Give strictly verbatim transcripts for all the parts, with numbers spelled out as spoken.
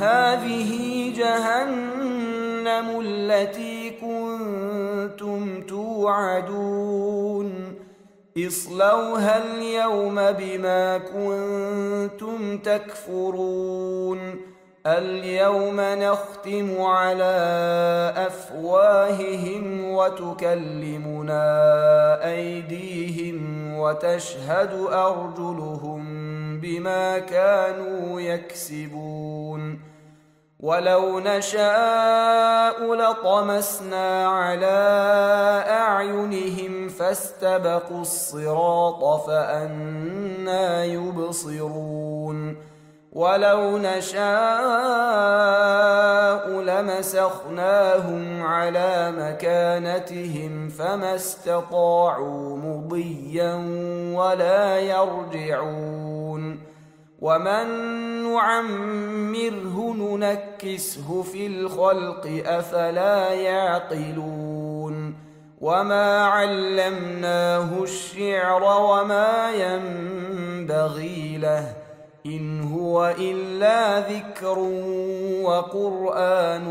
هذه جهنم التي كنتم توعدون اصلوها اليوم بما كنتم تكفرون اليوم نختم على أفواههم وتكلمنا أيديهم وتشهد أرجلهم بما كانوا يكسبون ولو نشاء لطمسنا على أعينهم فاستبقوا الصراط فأنى يبصرون ولو نشاء لمسخناهم على مكانتهم فما استطاعوا مضيا ولا يرجعون ومن نعمره ننكسه في الخلق أفلا يعقلون وما علمناه الشعر وما ينبغي له إن هو إلا ذكر وقرآن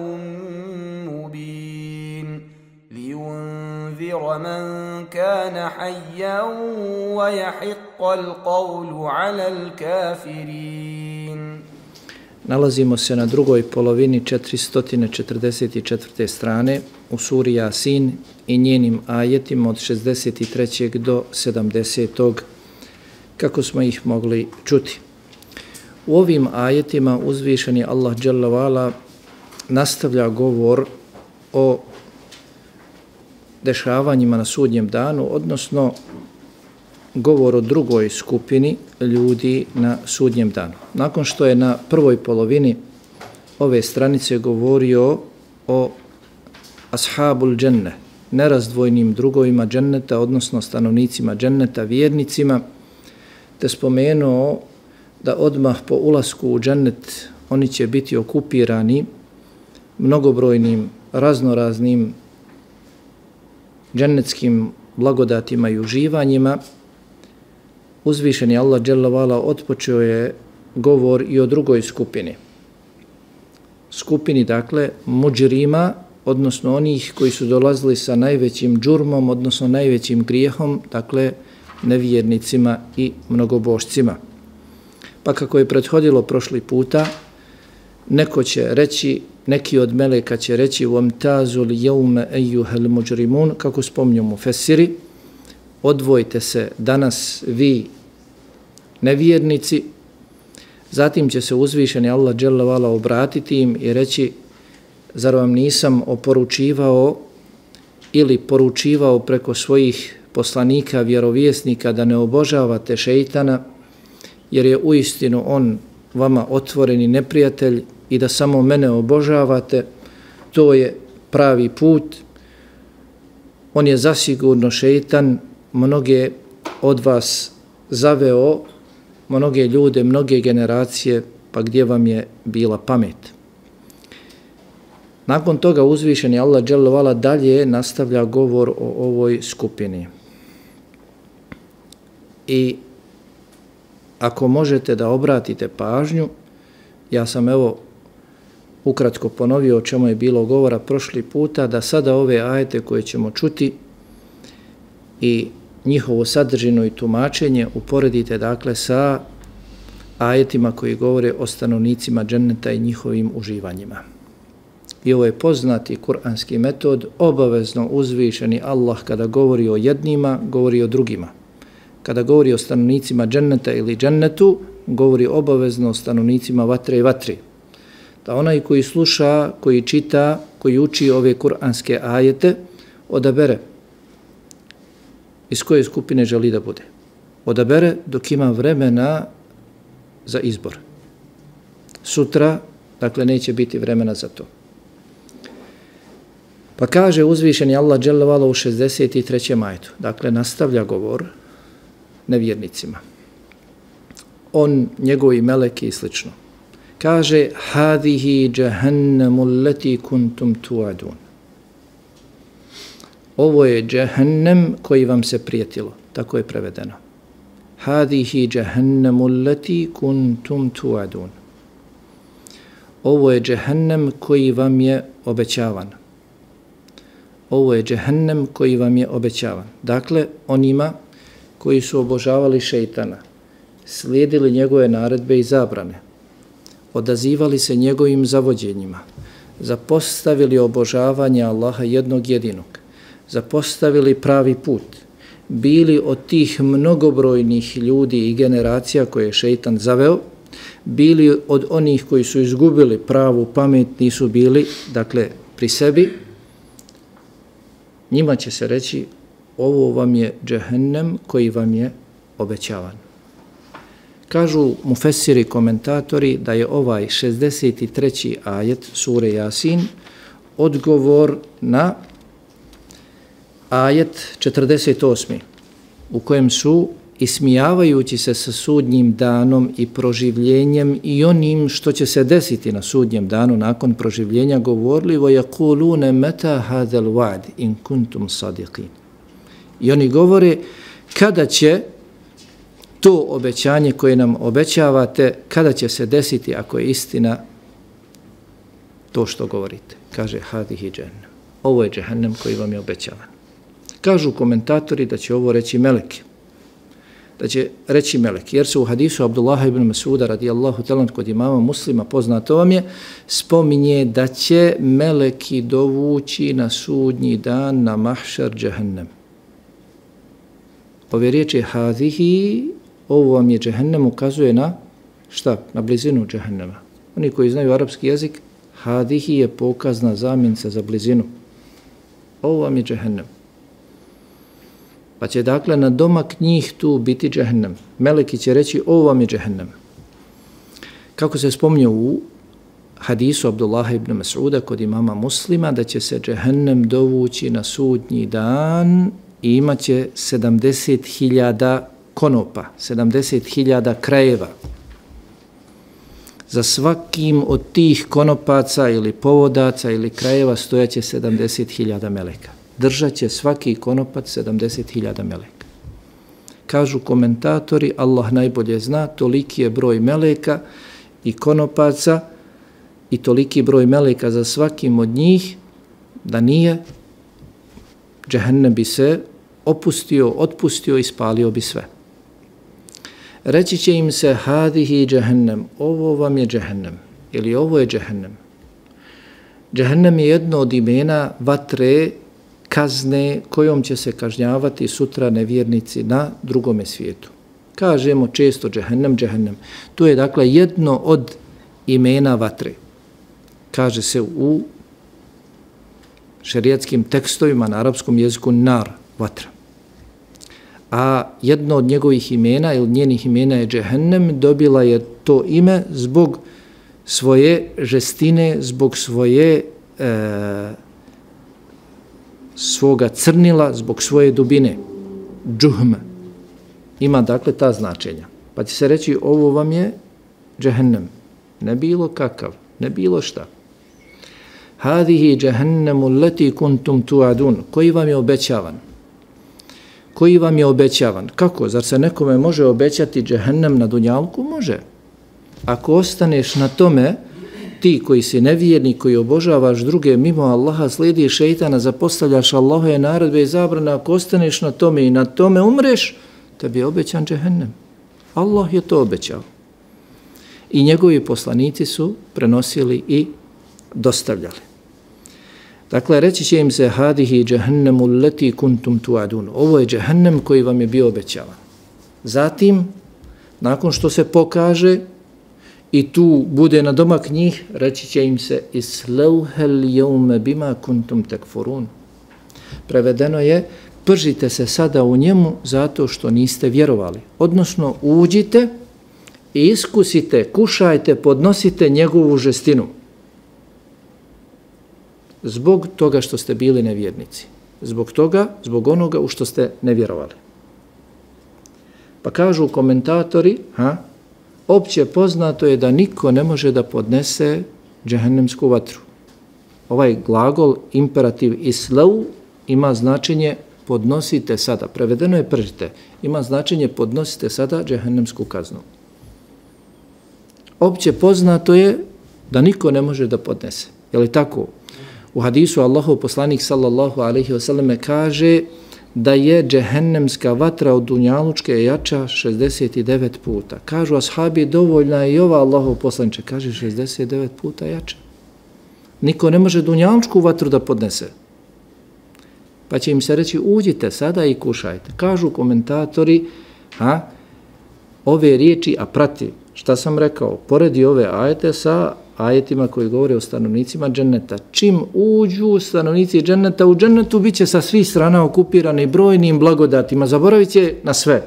مبين لينذر من كان حيا ويحق القول على الكافرين. Nalazimo se na drugoj polovini četiristo četrdeset četvrte strane u suri Jasin i njenim ajetima od šezdeset treće do sedamdesetog kako smo ih mogli čuti. U ovim ajetima uzvišeni Allah dželle ve ala nastavlja govor o dešavanjima na sudnjem danu, odnosno govor o drugoj skupini ljudi na sudnjem danu. Nakon što je na prvoj polovini ove stranice govorio o ashabul dženne, nerazdvojnim drugovima dženneta, odnosno stanovnicima dženneta, vjernicima, te spomenuo da odmah po ulasku u džennet oni će biti okupirani mnogobrojnim, raznoraznim džennetskim blagodatima i uživanjima, uzvišeni Allah dželle ve ala otpočeo je govor i o drugoj skupini. Skupini, dakle, muđrima, odnosno onih koji su dolazili sa najvećim džurmom, odnosno najvećim grijehom, dakle, nevjernicima i mnogobošcima. Pa kako je prethodilo prošli puta, neko će reći, neki od meleka će reći وَمْتَازُ الْيَوْمَ أَيُّهَا الْمُجْرِمُونَ, kako spominju mufesiri, odvojite se danas vi nevjernici. Zatim će se uzvišeni Allah dželle ve ala obratiti im i reći, zar vam nisam oporučivao ili poručivao preko svojih poslanika, vjerovjesnika da ne obožavate šeitana, jer je uistinu on vama otvoreni neprijatelj i da samo mene obožavate, to je pravi put. On je zasigurno šeitan, mnoge od vas zaveo, mnoge ljude, mnoge generacije, pa gdje vam je bila pamet. Nakon toga uzvišeni Allah dželle ve ala dalje nastavlja govor o ovoj skupini. I ako možete da obratite pažnju, ja sam evo ukratko ponovio o čemu je bilo govora prošli puta, da sada ove ajete koje ćemo čuti i njihovu sadržinu i tumačenje uporedite dakle sa ajetima koji govore o stanovnicima dženneta i njihovim uživanjima. I ovo je poznati kuranski metod, obavezno uzvišeni Allah kada govori o jednima, govori o drugima. Kada govori o stanovnicima dženneta ili džennetu, govori obavezno o stanovnicima vatre i vatri. Da onaj koji sluša, koji čita, koji uči ove kuranske ajete, odabere iz koje skupine želi da bude. Odabere dok ima vremena za izbor. Sutra, dakle, neće biti vremena za to. Pa kaže uzvišeni Allah dželle ve ala u šezdeset trećem ajetu, dakle, nastavlja govor nevjernicima. On, njegovi meleki i slično. Kaže, hadihi džahannamu allati kuntum tu'adun. Ovo je džahannam koji vam se prijetilo. Tako je prevedeno. Hadihi džahannamu allati kuntum tu'adun. ovo je džehennem koji vam je obećavan. Ovo je džehennem koji vam je obećavan. Dakle, onima koji su obožavali šejtana, slijedili njegove naredbe i zabrane, odazivali se njegovim zavođenjima, zapostavili obožavanje Allaha jednog jedinog, zapostavili pravi put, bili od tih mnogobrojnih ljudi i generacija koje je šejtan zaveo, bili od onih koji su izgubili pravu pamet, nisu bili, dakle, pri sebi, njima će se reći, ovo vam je džehennem koji vam je obećavan. Kažu mufesiri komentatori da je ovaj šezdeset treći ajet sure Jasin odgovor na ajet četrdeset osmi u kojem su ismijavajući se sa sudnjim danom i proživljenjem i onim što će se desiti na sudnjem danu nakon proživljenja govorili وَيَقُولُونَ مَتَا هَذَا الْوَعْدِ إِن كُنْتُمْ صَدِقِينَ. I oni govore kada će to obećanje koje nam obećavate, kada će se desiti ako je istina to što govorite. Kaže hadihi džehennem. Ovo je džehennem koji vam je obećavan. Kažu komentatori da će ovo reći meleki. Da će reći meleki. Jer se u hadisu Abdullaha ibn Mas'uda radijallahu talan kod imama Muslima, poznato vam je, spominje da će meleki dovući na sudnji dan na mahšar džehennem. Ove riječi hadihi, ovo vam je džehennem, ukazuje na šta? Na blizinu džehennema. Oni koji znaju arapski jezik, hadihi je pokazna zamjenica za blizinu. Ovo vam je džehennem. Pa će dakle na domak njih tu biti džehennem. Meleki će reći ovo vam je džehennem. Kako se spominje u hadisu Abdullaha ibn Mas'uda kod imama Muslima, da će se džehennem dovući na sudnji dan i imat će sedamdeset hiljada konopa, sedamdeset hiljada krajeva. Za svakim od tih konopaca ili povodaca ili krajeva stojaće sedamdeset hiljada meleka. Držat će svaki konopac sedamdeset hiljada meleka. Kažu komentatori, Allah najbolje zna, toliki je broj meleka i konopaca i toliki broj meleka za svakim od njih, da nije, džehennem bi se opustio, otpustio i spalio bi sve. Reći će im se hadihi džehennem, ovo vam je džehennem, ili ovo je džehennem. Džehennem je jedno od imena vatre, kazne kojom će se kažnjavati sutra nevjernici na drugome svijetu. Kažemo često džehennem, džehennem. To je dakle jedno od imena vatre. Kaže se u šerijatskim tekstovima na arapskom jeziku nar, vatra. A jedno od njegovih imena ili njenih imena je džehennem, dobila je to ime zbog svoje žestine, zbog svoje e, svoga crnila, zbog svoje dubine. Džuhm. Ima dakle ta značenja. Pa će se reći ovo vam je džehennem. Ne bilo kakav, ne bilo šta. Hadihi džehennemu leti kuntum tuadun. Koji vam je obećavan? Koji vam je obećavan? Kako? Zar se nekome može obećati džehennem na dunjalku? Može. Ako ostaneš na tome, ti koji si nevjernik, koji obožavaš druge mimo Allaha, slijediš šejtana, zapostavljaš Allahove naredbe i zabrane, ako ostaneš na tome i na tome umreš, tebi je obećan džehennem. Allah je to obećao. I njegovi poslanici su prenosili i dostavljali. Dakle, reći će im se hadihi džehennemu leti kuntum tuadun. Ovo je džehennem koji vam je bio obećavan. Zatim, nakon što se pokaže i tu bude na domak njih, reći će im se islauhel jeume bima kuntum tekfurun. Prevedeno je, pržite se sada u njemu zato što niste vjerovali. Odnosno, uđite i iskusite, kušajte, podnosite njegovu žestinu. Zbog toga što ste bili nevjernici. Zbog toga, zbog onoga u što ste nevjerovali. Pa kažu komentatori, ha, opće poznato je da niko ne može da podnese džehennemsku vatru. Ovaj glagol, imperativ islau, ima značenje podnosite sada. Prevedeno je pržite. Ima značenje podnosite sada džehennemsku kaznu. Opće poznato je da niko ne može da podnese. Je li tako? U hadisu Allahov poslanik sallallahu alejhi ve selleme kaže da je džehennemska vatra od dunjalučke jača šezdeset devet puta. Kažu ashabi, dovoljna je i ova Allahov poslaniče, kaže šezdeset devet puta jača. Niko ne može dunjalučku vatru da podnese. Pa će im se reći, uđite sada i kušajte. Kažu komentatori, a, ove riječi, a prati, šta sam rekao, poredi ove ajete sa ajetima koji govore o stanovnicima dženneta. Čim uđu stanovnici dženneta, u džennetu bit će sa svih strana okupirani brojnim blagodatima, zaboravit će na sve.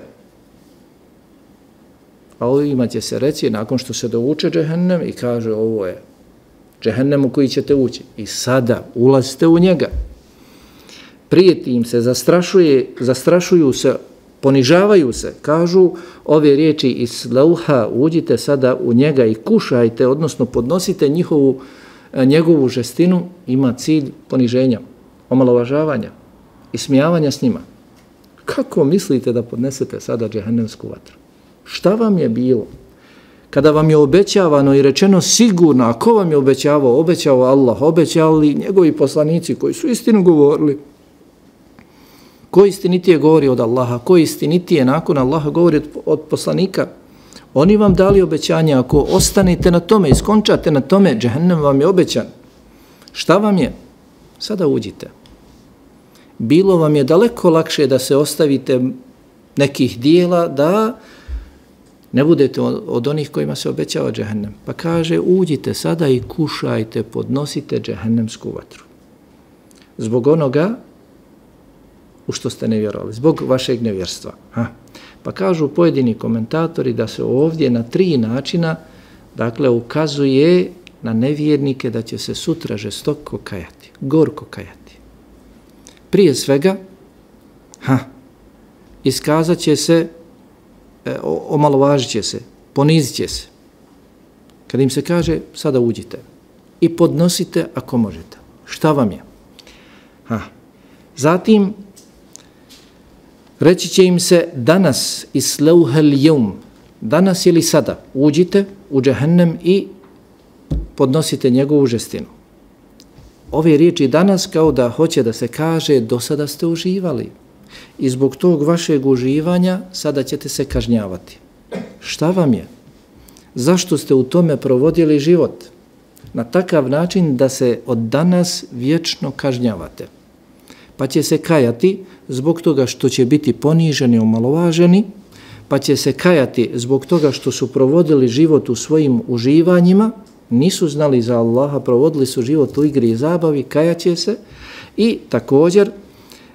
A ovima će se reći, nakon što se douče džehennem i kaže, ovo je džehennem u koji ćete ući. I sada ulazite u njega. Prijeti im se, zastrašuje, zastrašuju se, ponižavaju se, kažu ove riječi islauha, uđite sada u njega i kušajte, odnosno podnosite njihovu, njegovu žestinu, ima cilj poniženja, omalovažavanja, ismijavanja s njima. Kako mislite da podnesete sada džehennemsku vatru? Šta vam je bilo? Kada vam je obećavano i rečeno sigurno, a ko vam je obećavao? Obećao Allah, obećali njegovi poslanici koji su istinu govorili. Ko istinitije govori od Allaha, ko istinitije nakon Allaha govori od, od poslanika. Oni vam dali obećanje, ako ostanete na tome, iskončate na tome, džehennem vam je obećan. Šta vam je? Sada uđite. Bilo vam je daleko lakše da se ostavite nekih dijela, da ne budete od onih kojima se obećava džehennem. Pa kaže, uđite sada i kušajte, podnosite džehennemsku vatru. Zbog onoga u što ste nevjerovali, zbog vašeg nevjerstva. Ha. Pa kažu pojedini komentatori da se ovdje na tri načina, dakle, ukazuje na nevjernike da će se sutra žestoko kajati, gorko kajati. Prije svega, ha, iskazat će se, e, omalovažit će se, ponizit će se. Kad im se kaže, sada uđite i podnosite ako možete. Šta vam je? Ha. Zatim, reći će im se danas islauhel jevm, danas ili sada, uđite u džehennem i podnosite njegovu žestinu. Ove riječi danas kao da hoće da se kaže do sada ste uživali i zbog tog vašeg uživanja sada ćete se kažnjavati. Šta vam je? Zašto ste u tome provodili život? Na takav način da se od danas vječno kažnjavate. Pa će se kajati zbog toga što će biti poniženi i omalovaženi, pa će se kajati zbog toga što su provodili život u svojim uživanjima, nisu znali za Allaha, provodili su život u igri i zabavi, kajaće se i također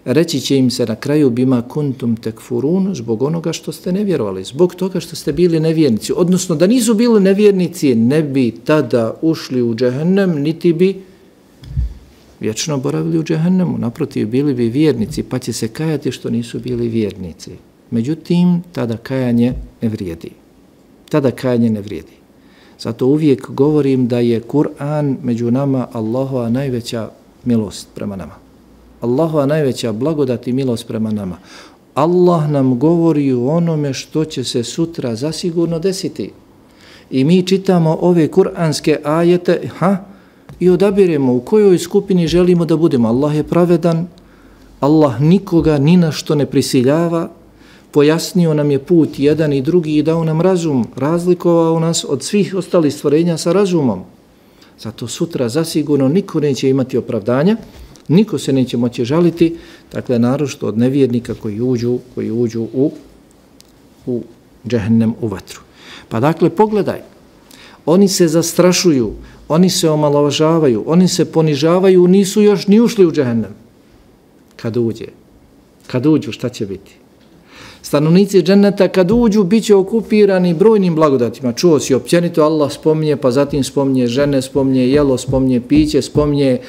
reći će im se na kraju bima kuntum tekfurun, zbog onoga što ste nevjerovali, zbog toga što ste bili nevjernici. Odnosno da nisu bili nevjernici, ne bi tada ušli u džehennem, niti bi vječno boravili u džehennemu, naprotiv, bili bi vjernici, pa će se kajati što nisu bili vjernici. Međutim, tada kajanje ne vrijedi. Tada kajanje ne vrijedi. Zato uvijek govorim da je Kur'an među nama Allahova najveća milost prema nama. Allahova najveća blagodat i milost prema nama. Allah nam govori o onome što će se sutra zasigurno desiti. I mi čitamo ove kuranske ajete, ha, i odabiremo u kojoj skupini želimo da budemo. Allah je pravedan, Allah nikoga ni na što ne prisiljava, pojasnio nam je put jedan i drugi i dao nam razum, razlikovao nas od svih ostalih stvorenja sa razumom. Zato sutra zasigurno niko neće imati opravdanja, niko se neće moći žaliti, dakle naročito od nevjernika koji uđu, koji uđu u, u džehennem, u vatru. Pa dakle pogledaj, oni se zastrašuju, oni se omalovažavaju, oni se ponižavaju, nisu još ni ušli u džehennem. Kad uđe, kad uđu, šta će biti? Stanovnici dženneta kad uđu bit će okupirani brojnim blagodatima. Čuo si općenito, Allah spominje, pa zatim spominje žene, spominje jelo, spominje piće, spominje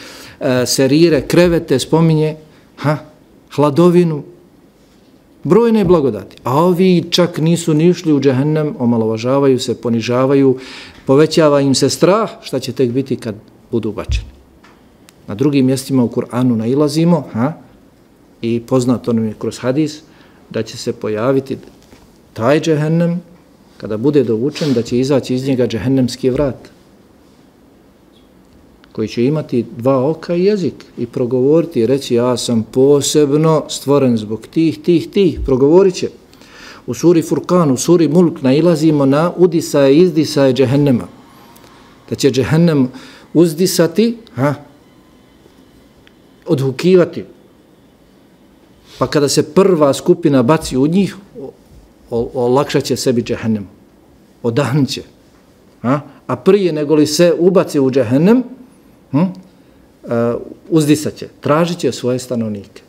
e, serire, krevete, spominje ha, hladovinu, brojne blagodati. A ovi čak nisu ni ušli u džehennem, omalovažavaju se, ponižavaju, povećava im se strah, šta će tek biti kad budu bačeni. Na drugim mjestima u Kur'anu nailazimo, ha, i poznato nam je kroz hadis, da će se pojaviti taj džehennem, kada bude dovučen, da će izaći iz njega džehennemski vrat. koji će imati dva oka i jezik i progovoriti i reći ja sam posebno stvoren zbog tih, tih, tih, progovorit će. U suri Furkan, u suri Mulk nailazimo na udisaje i izdisaje džehennema. Da će džehennem uzdisati, ha, odhukivati. Pa kada se prva skupina baci u njih, olakšat će sebi džehennem. Odahnut će. Ha? A prije nego li se ubaci u džehennem, hm, uh, uzdisat će, tražit će svoje stanovnike.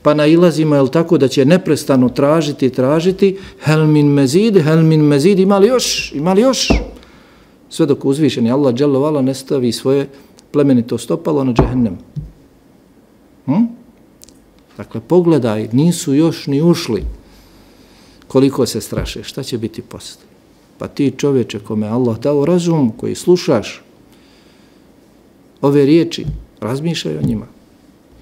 Pa nailazimo, je tako, da će neprestano tražiti, tražiti, hel min mezid, hel min mezid, ima li još, ima li još? Sve dok uzvišeni Allah dželle vala ne stavi svoje plemenito stopalo na džehennem. Hm? Dakle, pogledaj, nisu još ni ušli. Koliko se straše, šta će biti posle? Pa ti čovječe kome Allah dao razum, koji slušaš ove riječi, razmišljaj o njima.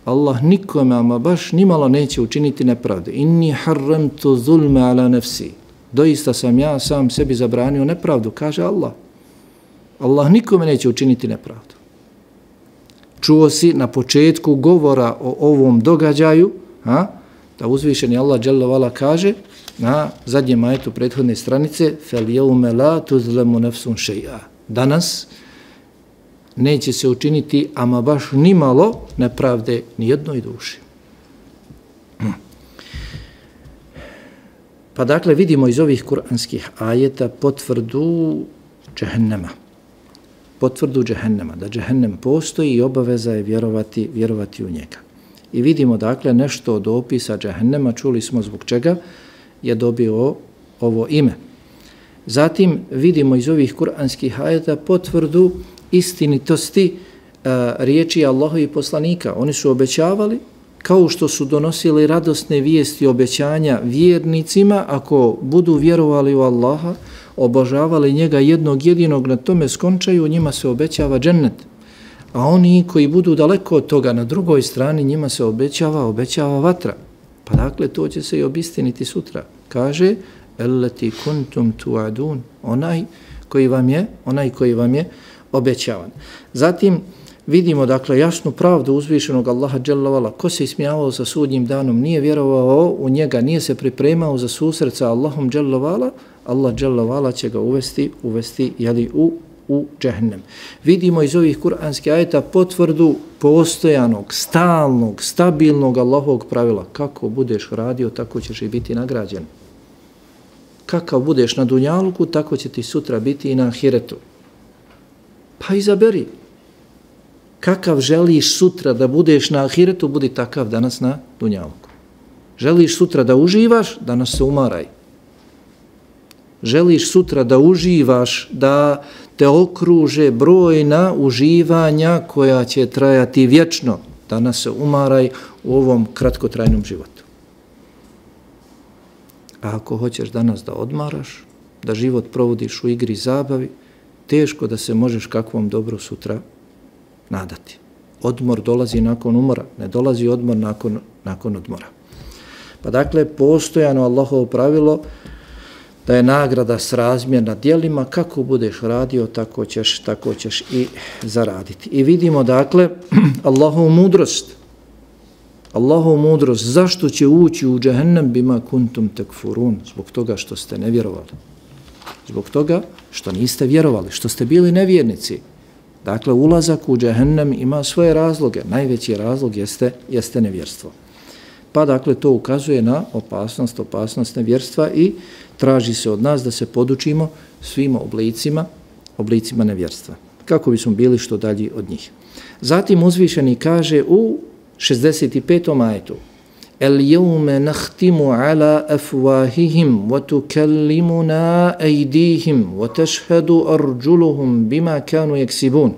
Allah nikome, ama baš nimalo neće učiniti nepravde. Inni harramtu zulme ala nefsi. Doista sam ja sam sebi zabranio nepravdu, kaže Allah. Allah nikome neće učiniti nepravdu. Čuo si na početku govora o ovom događaju, a, da uzvišeni Allah dželle vala kaže na zadnjem ajetu prethodne stranice fel jeume la tuzlemu nefsun šeja. Danas neće se učiniti ama baš nimalo nepravde ni jednoj duši. Pa dakle vidimo iz ovih kuranskih ajeta potvrdu džehennema. Potvrdu džehennema, da džehennem postoji i obaveza je vjerovati, vjerovati u njega. I vidimo dakle nešto od opisa džehennema, čuli smo zbog čega je dobio ovo ime. Zatim vidimo iz ovih kuranskih ajeta potvrdu istinitosti uh, riječi Allahovih poslanika. Oni su obećavali, kao što su donosili radosne vijesti obećanja vjernicima, ako budu vjerovali u Allaha, obožavali njega jednog jedinog, na tome skončaju, njima se obećava džennet. A oni koji budu daleko od toga, na drugoj strani, njima se obećava, obećava vatra. Pa dakle, to će se i obistiniti sutra. Kaže, elleti kuntum tuadun, onaj koji vam je, onaj koji vam je obećavan. Zatim vidimo dakle jasnu pravdu uzvišenog Allaha dželle vala. Ko se ismijavao sa sudnjim danom, nije vjerovao u njega, nije se pripremao za susret sa Allahom dželle vala, Allah dželle vala će ga uvesti, uvesti jeli, u u džehennem. Vidimo iz ovih kuranskih ajeta potvrdu postojanog, stalnog, stabilnog Allahovog pravila. Kako budeš radio, tako ćeš i biti nagrađen. Kakav budeš na dunjaluku, tako će ti sutra biti i na ahiretu. Pa izaberi. Kakav želiš sutra da budeš na ahiretu, budi takav danas na dunjaluku. Želiš sutra da uživaš, danas se umaraj. Želiš sutra da uživaš, da te okruže brojna uživanja koja će trajati vječno, danas se umaraj u ovom kratkotrajnom životu. A ako hoćeš danas da odmaraš, da život provodiš u igri i zabavi, teško da se možeš kakvom dobru sutra nadati. Odmor dolazi nakon umora, ne dolazi odmor nakon, nakon odmora. Pa dakle, postojano Allahovo pravilo da je nagrada srazmjerna djelima, kako budeš radio, tako ćeš, tako ćeš i zaraditi. I vidimo dakle Allahovu mudrost. Allahovu mudrost, zašto će ući u džehennem bima kuntum tekfurun? Zbog toga što ste nevjerovali. Zbog toga što niste vjerovali, što ste bili nevjernici. Dakle, ulazak u džehennem ima svoje razloge. Najveći razlog jeste, jeste nevjerstvo. Pa dakle, to ukazuje na opasnost, opasnost nevjerstva i traži se od nas da se podučimo svim oblicima, oblicima nevjerstva. Kako bismo bili što dalji od njih. Zatim uzvišeni kaže u šezdeset petom ajetu: El jeume nahtimu ala afwahihim wa tukallimuna aydihim wa tashhadu arjuluhum bima kanu yaksibun.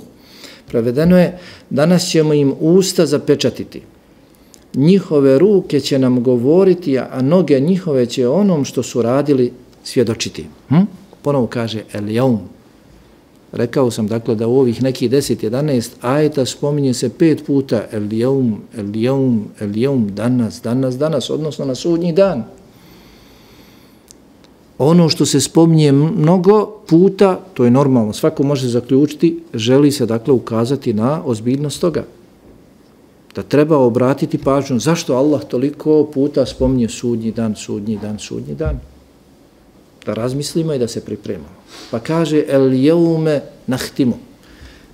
Prevedeno je: danas ćemo im usta zapečatiti. Njihove ruke će nam govoriti, a noge njihove će onom što su radili svjedočiti. Hm? Ponovo kaže el jeum. Rekao sam dakle da u ovih nekih deset jedanaest ajeta spominje se pet puta el jeum, el jeum, el jeum, danas, danas, danas, odnosno na sudnji dan. ono što se spominje mnogo puta, to je normalno, svako može zaključiti, želi se dakle ukazati na ozbiljnost toga. Da treba obratiti pažnju zašto Allah toliko puta spominje sudnji dan, sudnji dan, sudnji dan. Da razmislimo i da se pripremamo. Pa kaže el jeume nahtimu.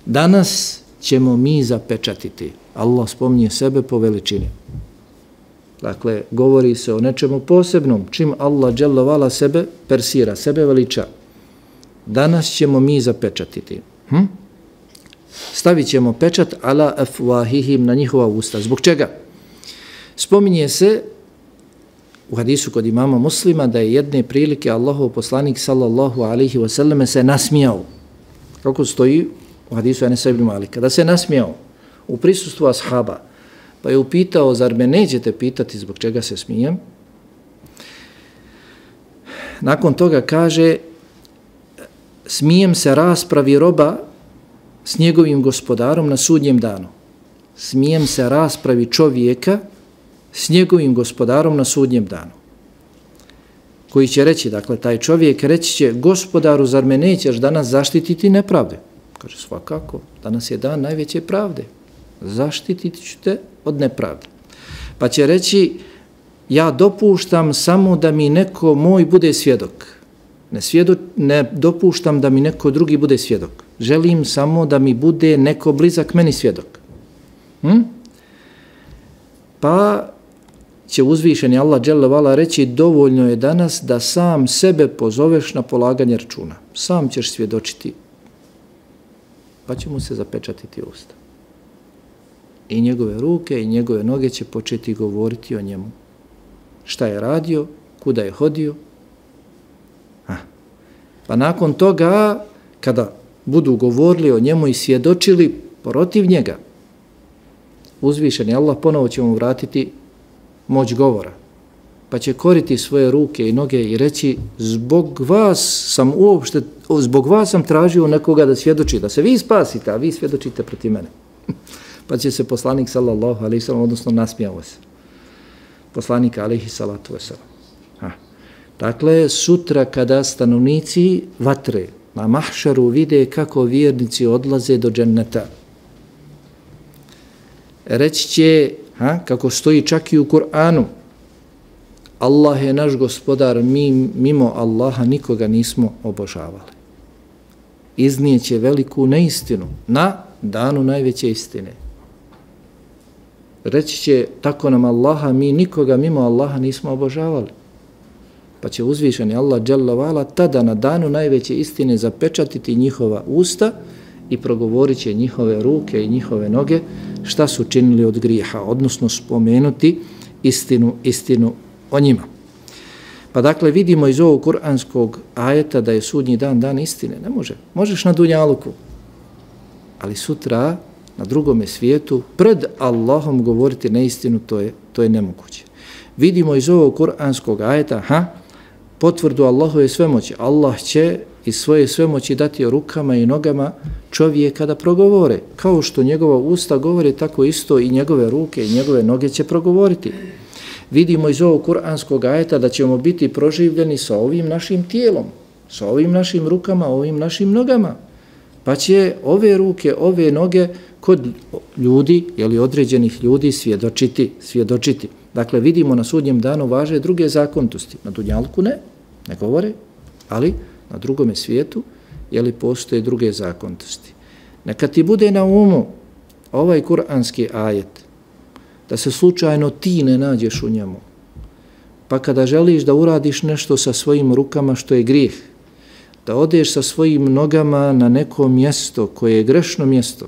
Danas ćemo mi zapečatiti. Allah spominje sebe po veličini. Dakle, govori se o nečemu posebnom. Čim Allah dželle vala sebe persira, sebe veliča. Danas ćemo mi zapečatiti. Hm? Stavit ćemo pečat ala afwahihim na njihova usta. Zbog čega? Spominje se u hadisu kod imama Muslima da je jedne prilike Allahov poslanik sallallahu alaihi wa sallam se nasmijao. Kako stoji u hadisu Enesa ibn Malika. Da se nasmijao u prisustvu ashaba. Pa je upitao, zar me nećete pitati zbog čega se smijem? Nakon toga kaže, smijem se raspravi roba s njegovim gospodarom na sudnjem danu. Smijem se raspravi čovjeka s njegovim gospodarom na sudnjem danu. Koji će reći, dakle, taj čovjek reći će, gospodaru, zar me nećeš danas zaštititi nepravde? Kaže, svakako, danas je dan najveće pravde. Zaštititi ću te od nepravde. Pa će reći, ja dopuštam samo da mi neko moj bude svjedok. Ne, svjedo, ne dopuštam da mi neko drugi bude svjedok. Želim samo da mi bude neko blizak meni svjedok. Hm? Pa će uzvišeni Allah dželle vala reći, dovoljno je danas da sam sebe pozoveš na polaganje računa. Sam ćeš svjedočiti. Pa će mu se zapečatiti usta. I njegove ruke i njegove noge će početi govoriti o njemu. Šta je radio, kuda je hodio. Ha. Pa nakon toga, kada budu govorili o njemu i svjedočili protiv njega, uzvišeni Allah ponovo će mu vratiti moć govora. Pa će koriti svoje ruke i noge i reći, zbog vas sam uopšte, zbog vas sam tražio nekoga da svjedoči, da se vi spasite, a vi svjedočite protiv mene. Pa će se poslanik sallallahu alejhi ve sellem, odnosno nasmijao se. Poslanik alejhi salatu vesselam. Ha. Dakle, sutra kada stanovnici vatre na mahšaru vide kako vjernici odlaze do dženneta, reći će, ha, kako stoji čak i u Kur'anu, Allah je naš gospodar, mi mimo Allaha nikoga nismo obožavali. Iznijeće veliku neistinu na danu najveće istine. Reći će, tako nam Allaha, mi nikoga mimo Allaha nismo obožavali. Pa će uzvišeni Allah dželle vala tada na danu najveće istine zapečatiti njihova usta i progovorit će njihove ruke i njihove noge šta su činili od grijeha, odnosno spomenuti istinu, istinu o njima. Pa dakle vidimo iz ovog kuranskog ajeta da je sudnji dan dan istine. Ne može. Možeš na dunjaluku, ali sutra na drugome svijetu pred Allahom govoriti neistinu, to je, to je nemoguće. Vidimo iz ovog kuranskog ajeta, ha, potvrdu Allahove svemoći. Allah će iz svoje svemoći dati rukama i nogama čovjeka da progovore. Kao što njegova usta govore, tako isto i njegove ruke i njegove noge će progovoriti. Vidimo iz ovog kuranskog ajeta da ćemo biti proživljeni sa ovim našim tijelom, sa ovim našim rukama, ovim našim nogama. Pa će ove ruke, ove noge kod ljudi, jeli određenih ljudi, svjedočiti, svjedočiti. Dakle, vidimo na sudnjem danu važe druge zakonitosti. Na dunjalku ne, ne govore, ali na drugome svijetu, jeli postoje druge zakonitosti. Neka ti bude na umu ovaj kuranski ajet, da se slučajno ti ne nađeš u njemu. Pa kada želiš da uradiš nešto sa svojim rukama što je grijeh, da odeš sa svojim nogama na neko mjesto koje je grešno mjesto,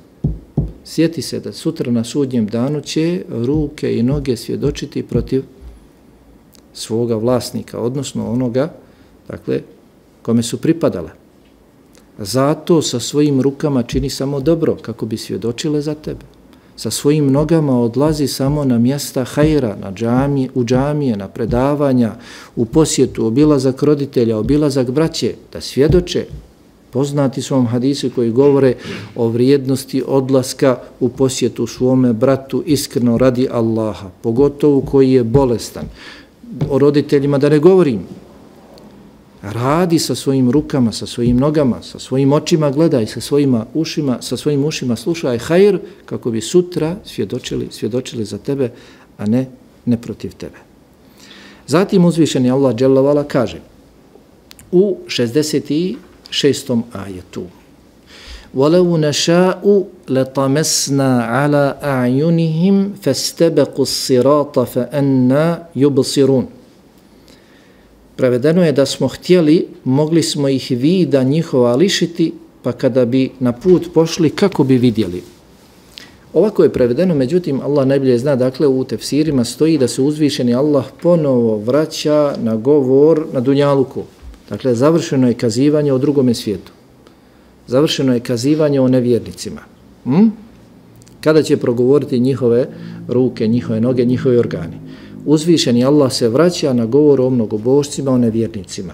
sjeti se da sutra na sudnjem danu će ruke i noge svjedočiti protiv svoga vlasnika, odnosno onoga, dakle, kome su pripadale. Zato sa svojim rukama čini samo dobro, kako bi svjedočile za tebe. Sa svojim nogama odlazi samo na mjesta hajra, na džamije, u džamije, na predavanja, u posjetu, obilazak roditelja, obilazak braće, da svjedoče. Poznati su vam hadisi koji govore o vrijednosti odlaska u posjetu svome bratu iskreno radi Allaha, pogotovo koji je bolestan. O roditeljima da ne govorim. Radi sa svojim rukama, sa svojim nogama, sa svojim očima gledaj, sa svojim ušima, sa svojim ušima slušaj hajr kako bi sutra svjedočili, svjedočili za tebe, a ne, ne protiv tebe. Zatim uzvišeni Allah dželle ve ala kaže u šezdeset šestom ajetu: وَلَوْ نَشَاءُ لَطَمَسْنَا عَلَى أَعْيُنِهِمْ فَاسْتَبَقُوا الصِّرَاطَ فَأَنَّا يُبْصِرُونَ. Prevedeno je da smo htjeli, mogli smo ih vida njihova lišiti, pa kada bi na put pošli, kako bi vidjeli. Ovako je prevedeno, međutim, Allah najbolje zna, dakle, u tefsirima stoji da se uzvišeni Allah ponovo vraća na govor na dunjaluku. Dakle, završeno je kazivanje o drugome svijetu. Završeno je kazivanje o nevjernicima. Hm? Kada će progovoriti njihove ruke, njihove noge, njihovi organi. Uzvišeni Allah se vraća na govor o mnogobožcima, o nevjernicima.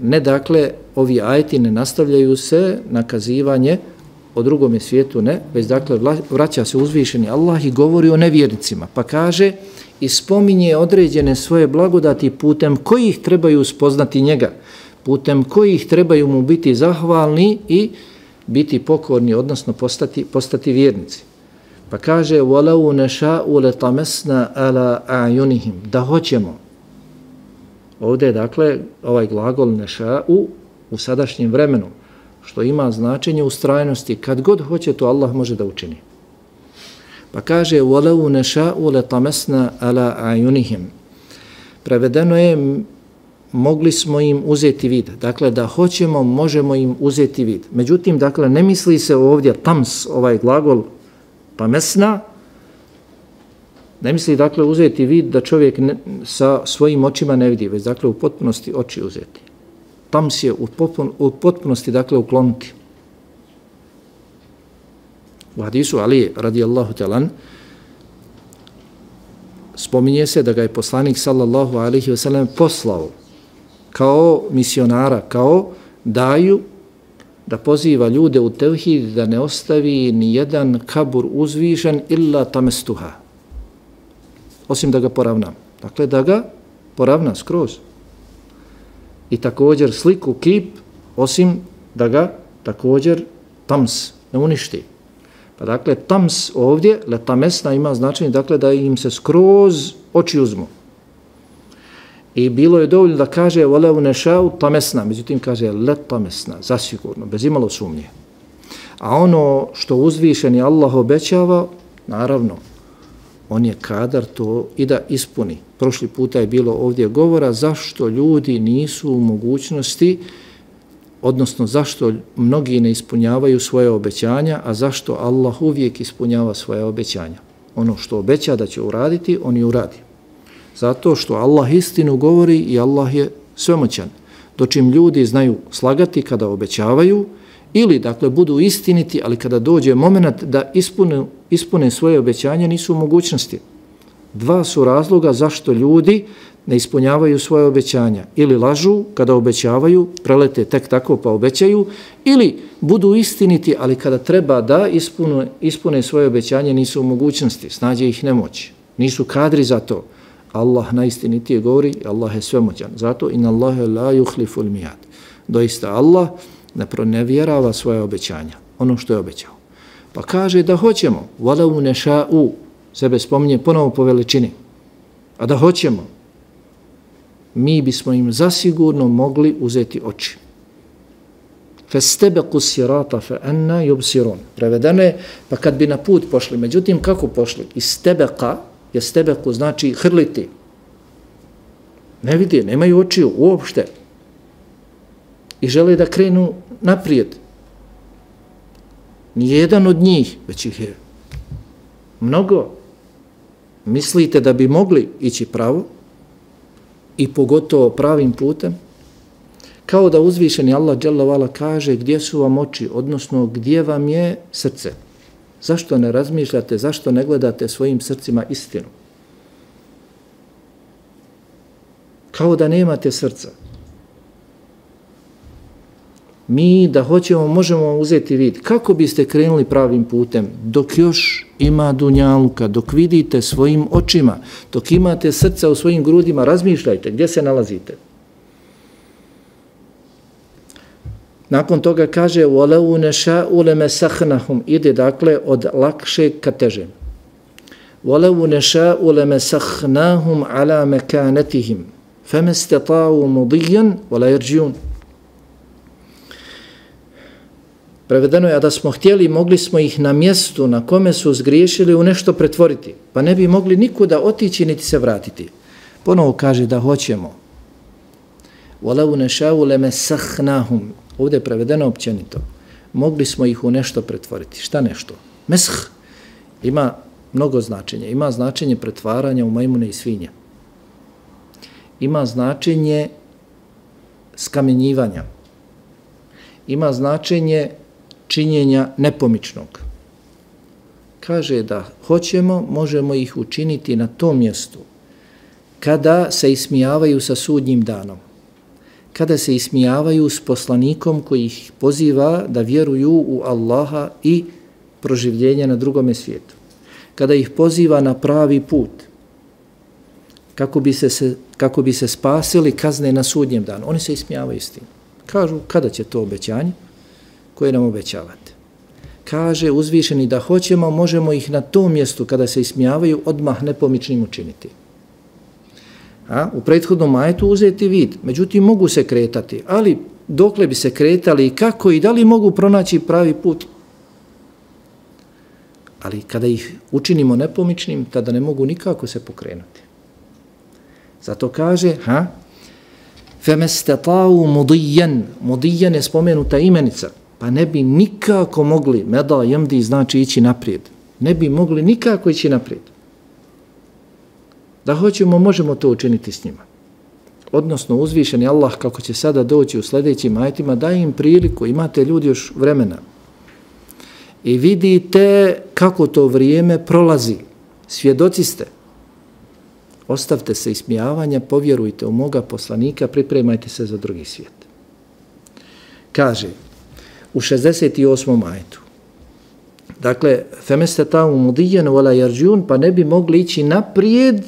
Ne, dakle, ovi ajeti ne nastavljaju se na kazivanje o drugome svijetu, ne, već dakle vraća se uzvišeni Allah i govori o nevjernicima. Pa kaže i spominje određene svoje blagodati putem kojih trebaju spoznati njega, putem kojih trebaju mu biti zahvalni i biti pokorni, odnosno postati, postati vjernici. Pa kaže وَلَوْ نَشَاءُ لَطَمَسْنَا عَلَىٰ أَعْيُنِهِمْ, da hoćemo. Ovdje je dakle ovaj glagol neša'u u sadašnjem vremenu, što ima značenje ustrajnosti. Kad god hoće, to Allah može da učini. Pa kaže وَلَوْ نَشَاءُ لَطَمَسْنَا عَلَىٰ أَعْيُنِهِمْ. Prevedeno je mogli smo im uzeti vid. Dakle, da hoćemo, možemo im uzeti vid. Međutim, dakle, ne misli se ovdje tams, ovaj glagol tamesna, ne misli, dakle, uzeti vid da čovjek ne, sa svojim očima ne vidi, već, dakle, u potpunosti oči uzeti. Tams je u, potpun, u potpunosti, dakle, ukloniti. U hadisu Ali radijallahu talan spominje se da ga je poslanik sallallahu alaihi wa sallam poslao kao misionara, kao daju, da poziva ljude u tevhid, da ne ostavi ni jedan kabur uzvišen illa tamestuha, osim da ga poravnam. Dakle, da ga poravna skroz. I također sliku, kip, osim da ga također tams ne uništi. Pa dakle, tams ovdje, letamesna, ima značenje, dakle, da im se skroz oči uzmu. I bilo je dovoljno da kaže وَلَوْ نَشَاءُ tamesna, međutim kaže letamesna, zasigurno, bez imalo sumnje. A ono što uzvišeni Allah obećava, naravno, on je kadar to i da ispuni. Prošli puta je bilo ovdje govora zašto ljudi nisu u mogućnosti, odnosno zašto mnogi ne ispunjavaju svoje obećanja, a zašto Allah uvijek ispunjava svoje obećanja. Ono što obeća da će uraditi, on i uradi. Zato što Allah istinu govori i Allah je svemoćan. Dočim ljudi znaju slagati kada obećavaju, ili dakle budu istiniti, ali kada dođe moment da ispune, ispune svoje obećanje, nisu u mogućnosti. Dva su razloga zašto ljudi ne ispunjavaju svoje obećanja. Ili lažu kada obećavaju, prelete tek tako pa obećaju, ili budu istiniti, ali kada treba da ispune, ispune svoje obećanje, nisu u mogućnosti, snađe ih nemoć. Nisu kadri za to. Allah najistinitije govori, Allah je svemoćan. Zato inna Allahe la yuhliful mi'ad. Doista Allah ne pronevjerava svoje obećanja, ono što je obećao. Pa kaže da hoćemo, walau neša'u, sebe spominje ponovo po veličini, a da hoćemo, mi bismo im zasigurno mogli uzeti oči. Festebeku sirata fe anna yubsirun. Prevedeno je, pa kad bi na put pošli, međutim kako pošli? Istebeka, je stebeku znači hrliti. Ne vidi, nemaju očiju uopšte. I žele da krenu naprijed. Nijedan od njih, već ih je mnogo. Mislite da bi mogli ići pravo i pogotovo pravim putem? Kao da uzvišeni Allah dželle vala kaže gdje su vam oči, odnosno gdje vam je srce. Zašto ne razmišljate, zašto ne gledate svojim srcima istinu? Kao da nemate srca. Mi da hoćemo, možemo uzeti vid. Kako biste krenuli pravim putem? Dok još ima dunjaluka, dok vidite svojim očima, dok imate srca u svojim grudima, razmišljajte gdje se nalazite. Nakon toga kaže وَلَوْ نَشَاءُ لَمَسَخْنَهُمْ, ide dakle od lakše ka težem. وَلَوْ نَشَاءُ لَمَسَخْنَاهُمْ عَلَى مَكَانَتِهِمْ فَمَا اسْتَطَاعُوا مُضِيًّا وَلَا يَرْجِعُونَ. Prevedeno je, a da smo htjeli, mogli smo ih na mjestu na kome su zgriješili u nešto pretvoriti, pa ne bi mogli nikuda otići niti se vratiti. Ponovo kaže da hoćemo. وَلَوْ نَشَاءُ لَمَسَخْنَاهُمْ, ovdje je prevedeno općenito. Mogli smo ih u nešto pretvoriti. Šta nešto? Mesh ima mnogo značenja. Ima značenje pretvaranja u majmune i svinje. Ima značenje skamenjivanja. Ima značenje činjenja nepomičnog. Kaže da hoćemo, možemo ih učiniti na tom mjestu kada se ismijavaju sa sudnjim danom, kada se ismijavaju s poslanikom koji ih poziva da vjeruju u Allaha i proživljenje na drugome svijetu, kada ih poziva na pravi put, kako bi se, se, kako bi se spasili kazne na sudnjem danu. Oni se ismijavaju s tim. Kažu, kada će to obećanje koje nam obećavate? Kaže uzvišeni da hoćemo, možemo ih na tom mjestu kada se ismijavaju odmah nepomičnim učiniti. A, u prethodnom ajetu uzeti vid, međutim mogu se kretati, ali dokle bi se kretali i kako i da li mogu pronaći pravi put? Ali kada ih učinimo nepomičnim, tada ne mogu nikako se pokrenuti. Zato kaže, ha, فَمَسْتَطَاوُ مُضِيًّا, mudijan je spomenuta imenica, pa ne bi nikako mogli, meda jemdi znači ići naprijed, ne bi mogli nikako ići naprijed. Da hoćemo, možemo to učiniti s njima. Odnosno, uzvišeni Allah, kako će sada doći u sljedećim ajetima, daje im priliku, imate ljudi još vremena. I vidite kako to vrijeme prolazi. Svjedoci ste. Ostavte se ismijavanja, povjerujte u moga poslanika, pripremajte se za drugi svijet. Kaže, u šezdeset osmom ajetu, dakle, فَمَسْتَطَاعُوا مُضِيًّا وَلَا يَرْجِعُونَ, pa ne bi mogli ići naprijed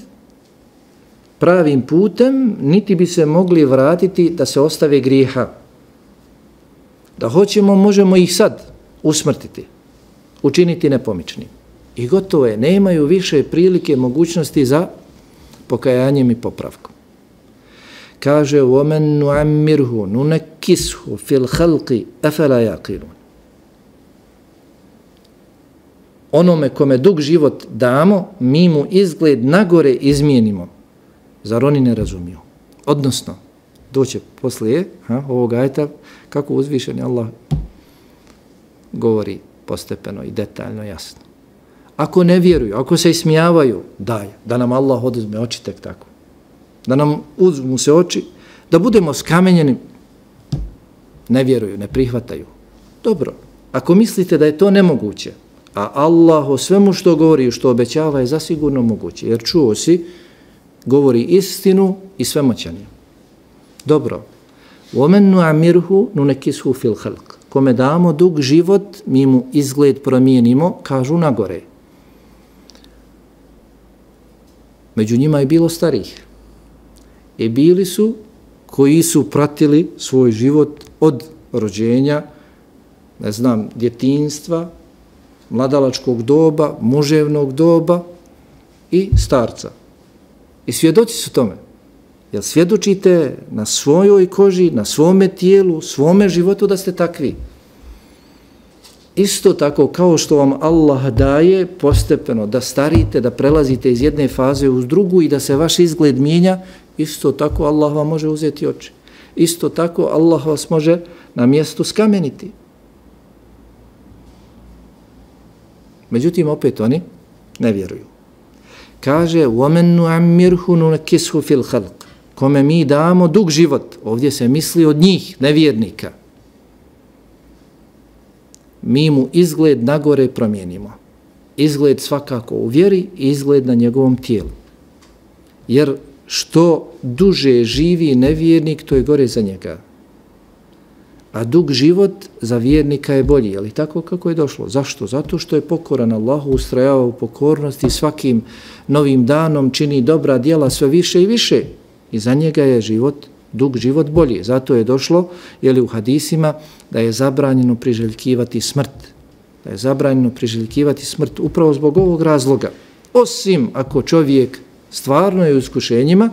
pravim putem, niti bi se mogli vratiti da se ostave grijeha. Da hoćemo, možemo ih sad usmrtiti, učiniti nepomičnim. I gotovo je, nemaju više prilike, mogućnosti za pokajanjem i popravkom. Kaže, وَمَنْ نُعَمِّرْهُ نُنَكِّسْهُ فِي الْخَلْقِ أَفَلَا يَعْقِلُونَ. Onome kome dug život damo, mi mu izgled nagore izmijenimo. Zar oni ne razumiju? Odnosno, doće poslije ha, ovog ajeta, kako uzvišeni Allah govori postepeno i detaljno, jasno. Ako ne vjeruju, ako se ismijavaju, daj, da nam Allah oduzme oči tek tako. Da nam uzmu se oči, da budemo skamenjeni, ne vjeruju, ne prihvataju. Dobro, ako mislite da je to nemoguće, a Allah o svemu što govori i što obećava je zasigurno moguće, jer čuo si, govori istinu i svemoćan je. Dobro, وَمَنْ نُعَمِّرْهُ نُنَكِسْهُ فِي الْخَلْقِ. Kome damo dug život, mi mu izgled promijenimo, kažu nagore. Među njima je bilo starih. I bili su koji su pratili svoj život od rođenja, ne znam, djetinjstva, mladalačkog doba, muževnog doba i starca. I svjedoci su tome. Jel svjedočite na svojoj koži, na svome tijelu, svome životu da ste takvi? Isto tako kao što vam Allah daje postepeno da starite, da prelazite iz jedne faze u drugu i da se vaš izgled mijenja, isto tako Allah vam može uzeti oči. Isto tako Allah vas može na mjestu skameniti. Međutim, opet oni ne vjeruju. Kaže, وَمَنْ نُعَمِّرْهُ نُنَكِسْهُ فِي الْخَلْقِ. Kome mi damo dug život, ovdje se misli od njih, nevjernika, mi mu izgled nagore promijenimo. Izgled svakako u vjeri i izgled na njegovom tijelu. Jer što duže živi nevjernik, to je gore za njega. A dug život za vjernika je bolji, ali tako kako je došlo. Zašto? Zato što je pokoran Allahu, ustrajava u pokornosti, svakim novim danom čini dobra djela sve više i više. I za njega je život dug život bolji. Zato je došlo je li u hadisima da je zabranjeno priželjkivati smrt. Da je zabranjeno priželjkivati smrt upravo zbog ovog razloga. Osim ako čovjek stvarno je u iskušenjima,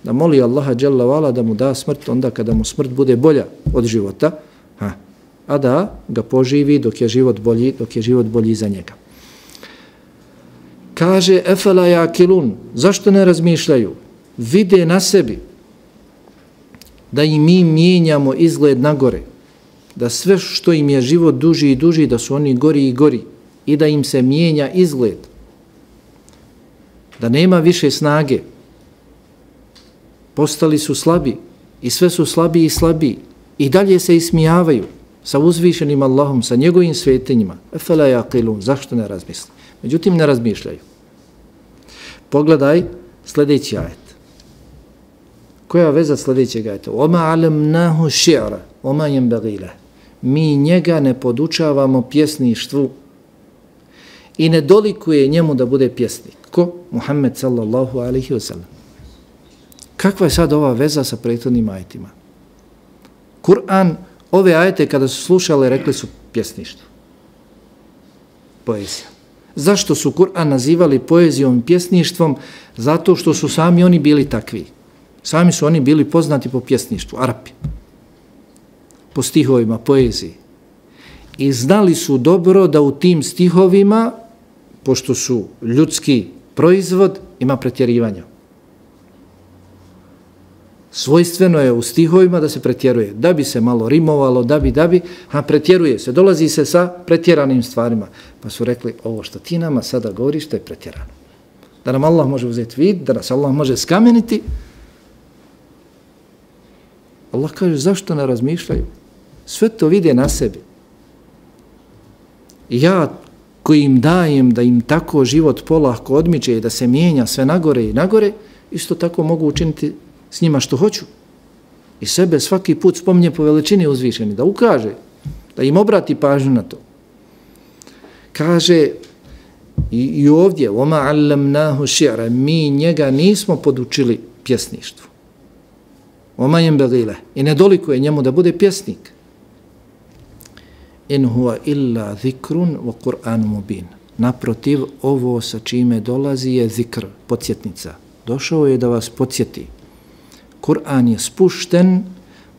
da moli Allaha dželle vala da mu da smrt onda kada mu smrt bude bolja od života, ha, a da ga poživi dok je život bolji, dok je život bolji za njega. Kaže efela yakilun, zašto ne razmišljaju? Vide na sebi da i mi mijenjamo izgled na gore, da sve što im je život duži i duži, da su oni gori i gori i da im se mijenja izgled, da nema više snage, postali su slabi i sve su slabiji i slabiji i dalje se ismijavaju sa uzvišenim Allahom, sa njegovim svetinjima. Efela yaqilun, zašto ne razmisli? Međutim, ne razmišljaju. Pogledaj sljedeći ajet. Koja veza sljedećeg ajeta? Oma alemnahu ši'ra, oma yenbaghi lahu. Mi njega ne podučavamo pjesništvu i ne dolikuje njemu da bude pjesnik. Ko? Muhammed sallallahu alaihi wa sallam. Kakva je sad ova veza sa prethodnim ajetima? Kur'an, ove ajete kada su slušali, rekli su pjesništvo. Poezija. Zašto su Kur'an nazivali poezijom i pjesništvom? Zato što su sami oni bili takvi. Sami su oni bili poznati po pjesništvu, Arapi. Po stihovima, poeziji. I znali su dobro da u tim stihovima, pošto su ljudski proizvod, ima pretjerivanja. Svojstveno je u stihovima da se pretjeruje, da bi se malo rimovalo, da bi, da bi, a pretjeruje se, dolazi se sa pretjeranim stvarima. Pa su rekli, ovo što ti nama sada govoriš, to je pretjerano. Da nam Allah može uzeti vid, da nas Allah može skameniti. Allah kaže, zašto ne razmišljaju? Sve to vide na sebi. Ja koji im dajem da im tako život polahko odmiče i da se mijenja sve nagore i nagore, isto tako mogu učiniti s njima što hoću. I sebe svaki put spominje po veličini uzvišeni, da ukaže, da im obrati pažnju na to. Kaže i, i ovdje, oma allamnahu ši'ra, mi njega nismo podučili pjesništvu. Oma yenbaghi lahu, i ne dolikuje njemu da bude pjesnik. In huwa illa zikrun wa Qur'an mubin. Naprotiv, ovo sa čime dolazi je zikr, podsjetnica. Došao je da vas podsjeti. Kur'an je spušten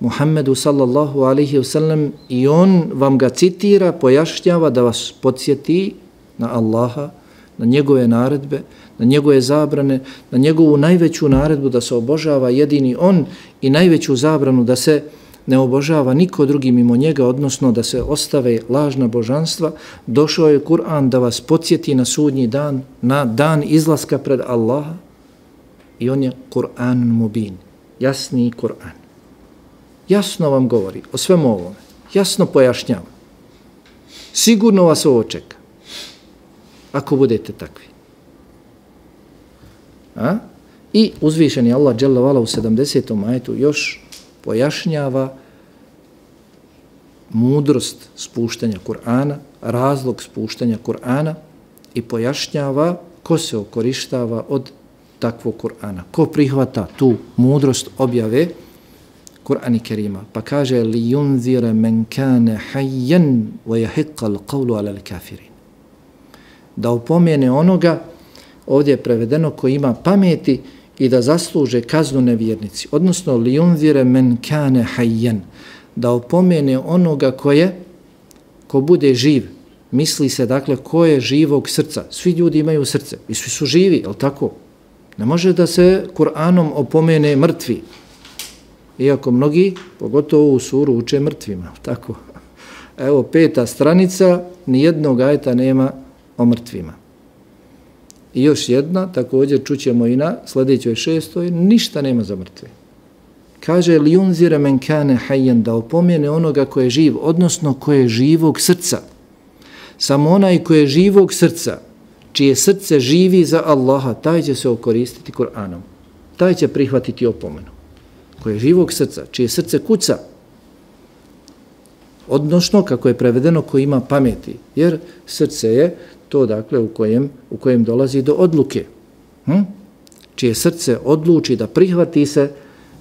Muhammedu sallallahu alaihi wasallam i on vam ga citira, pojašnjava da vas podsjeti na Allaha, na njegove naredbe, na njegove zabrane, na njegovu najveću naredbu da se obožava jedini on i najveću zabranu da se ne obožava niko drugi mimo njega, odnosno da se ostave lažna božanstva. Došao je Kur'an da vas podsjeti na sudnji dan, na dan izlaska pred Allaha i on je Kur'an mubin. Jasni Kur'an. Jasno vam govori o svemu ovome. Jasno pojašnjava. Sigurno vas ovo čeka. Ako budete takvi. A? I uzvišeni Allah dželle vala u sedamdesetom ajetu još pojašnjava mudrost spuštanja Kur'ana, razlog spuštanja Kur'ana i pojašnjava ko se okorištava od takvog Kur'ana. Ko prihvata tu mudrost objave Kur'ana Kerima. Pa kaže li yunzira men kana hayyan wa yahiqqa al-qawlu 'ala al-kafirin. Da upomene onoga, ovdje je prevedeno, ko ima pameti i da zasluže kaznu nevjernici. Odnosno li yunzira men kana hayyan. Da upomene onoga ko je, ko bude živ. Misli se dakle ko je živog srca. Svi ljudi imaju srce i svi su živi, je li tako? Ne može da se Kur'anom opomene mrtvi. Iako mnogi, pogotovo u suru, uče mrtvima. Tako. Evo, peta stranica, nijednog ajeta nema o mrtvima. I još jedna, također čućemo i na sljedećoj šestoj, ništa nema za mrtve. Kaže, li yunzira men kana hayyan, da opomene onoga ko je živ, odnosno ko je živog srca. Samo onaj ko je živog srca, čije srce živi za Allaha, taj će se okoristiti Kur'anom. Taj će prihvatiti opomenu. Ko je živog srca, čije srce kuca, odnosno, kako je prevedeno, ko ima pameti, jer srce je to, dakle, u kojem, u kojem dolazi do odluke. Hm? Čije srce odluči da prihvati se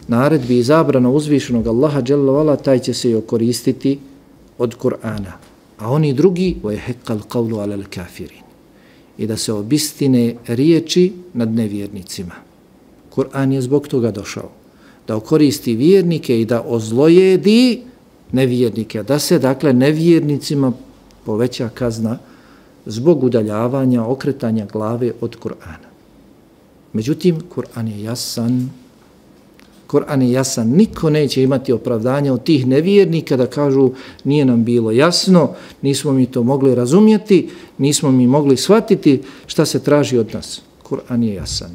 naredbi i zabrana uzvišenog Allaha dželle ve ala, taj će se i okoristiti od Kur'ana. A oni drugi, وَيَحِقَّ الْقَوْلُ عَلَى الْكَافِرِينَ, i da se obistine riječi nad nevjernicima. Kur'an je zbog toga došao, da okoristi vjernike i da ozlojedi nevjernike, da se dakle nevjernicima poveća kazna zbog udaljavanja, okretanja glave od Kur'ana. Međutim, Kur'an je jasan, Kur'an je jasan, niko neće imati opravdanja od tih nevjernika da kažu nije nam bilo jasno, nismo mi to mogli razumjeti, nismo mi mogli shvatiti šta se traži od nas. Kur'an je jasan.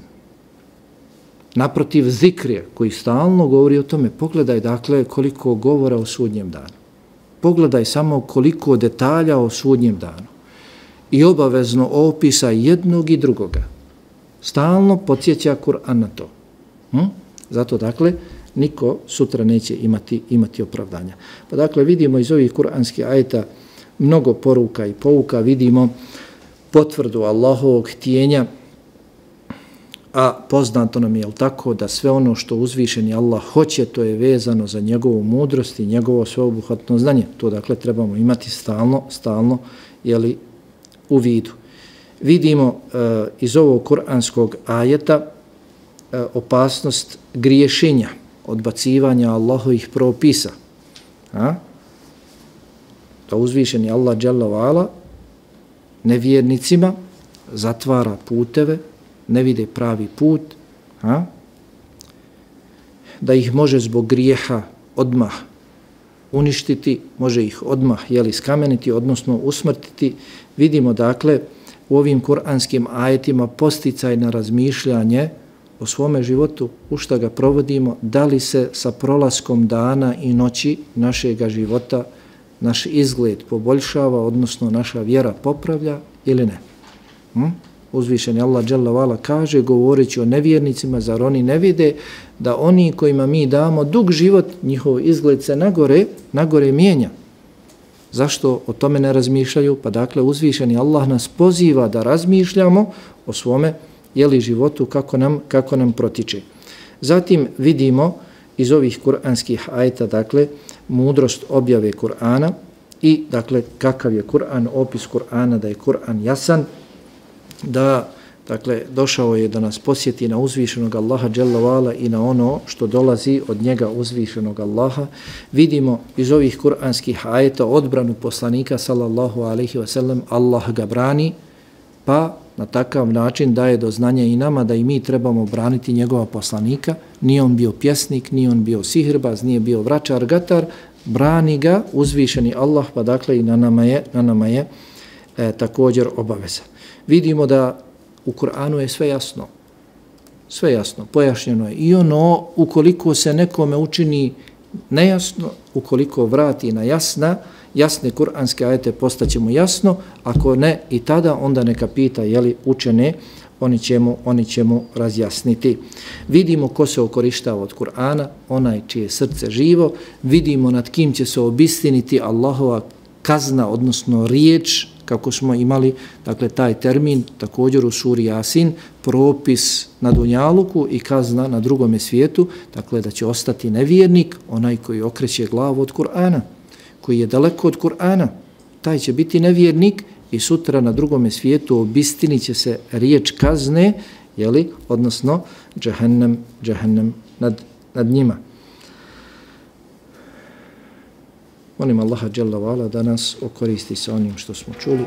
Naprotiv, zikrije koji stalno govori o tome, pogledaj dakle koliko govora o sudnjem danu. Pogledaj samo koliko detalja o sudnjem danu. I obavezno opisa jednog i drugoga. Stalno podsjeća Kur'an na to. Hm? Zato dakle niko sutra neće imati imati opravdanja. Pa dakle vidimo iz ovih kuranskih ajeta mnogo poruka i pouka, vidimo potvrdu Allahovog htjenja, a poznato nam je, jel tako, da sve ono što uzvišeni Allah hoće, to je vezano za njegovu mudrost i njegovo sveobuhvatno znanje. To dakle trebamo imati stalno, stalno, jeli, u vidu. Vidimo uh, iz ovog kuranskog ajeta uh, opasnost griješenja, odbacivanja Allahovih propisa. A? Da uzvišeni Allah dželle ve ala nevjernicima zatvara puteve, ne vide pravi put, a? Da ih može zbog grijeha odmah uništiti, može ih odmah jeli, skameniti, odnosno usmrtiti. Vidimo dakle u ovim kuranskim ajetima posticaj na razmišljanje o svome životu, u šta ga provodimo, da li se sa prolaskom dana i noći našega života naš izgled poboljšava, odnosno naša vjera popravlja ili ne. Hm? Uzvišeni Allah dželle ve ala kaže, govoreći o nevjernicima, zar oni ne vide da oni kojima mi damo dug život, njihov izgled se nagore, nagore mijenja. Zašto o tome ne razmišljaju? Pa dakle, uzvišeni Allah nas poziva da razmišljamo o svome jeli, životu, kako nam, kako nam protiče. Zatim vidimo iz ovih kuranskih ajeta, dakle, mudrost objave Kur'ana i, dakle, kakav je Kur'an, opis Kur'ana, da je Kur'an jasan, da, dakle, došao je da nas posjeti na uzvišenog Allaha dželle ve ala i na ono što dolazi od njega uzvišenog Allaha. Vidimo iz ovih kuranskih ajeta odbranu poslanika sallallahu alejhi ve sellem, Allah ga brani, pa na takav način daje do znanja i nama da i mi trebamo braniti njegova poslanika. Nije on bio pjesnik, nije on bio sihrbaz, nije bio vračar, gatar, brani ga uzvišeni Allah, pa dakle i na nama je, na nama je e, također obaveza. Vidimo da u Kur'anu je sve jasno. Sve jasno, pojašnjeno je. I ono, ukoliko se nekome učini nejasno, ukoliko vrati na jasna, jasne kuranske ajete postaćemo jasno, ako ne i tada, onda neka pita jeli učene, oni će mu, oni će mu razjasniti. Vidimo ko se okorištava od Kur'ana, onaj čije srce živo, vidimo nad kim će se obistiniti Allahova kazna, odnosno riječ, kako smo imali, dakle, taj termin također u suri Jasin, propis na dunjaluku i kazna na drugome svijetu, dakle, da će ostati nevjernik, onaj koji okreće glavu od Kur'ana, koji je daleko od Kur'ana, taj će biti nevjernik i sutra na drugome svijetu obistinit će se riječ kazne, jeli, odnosno džehennem, džehennem nad, nad njima. Molim Allaha dželle ve ala da nas okoristi sa onim što smo čuli.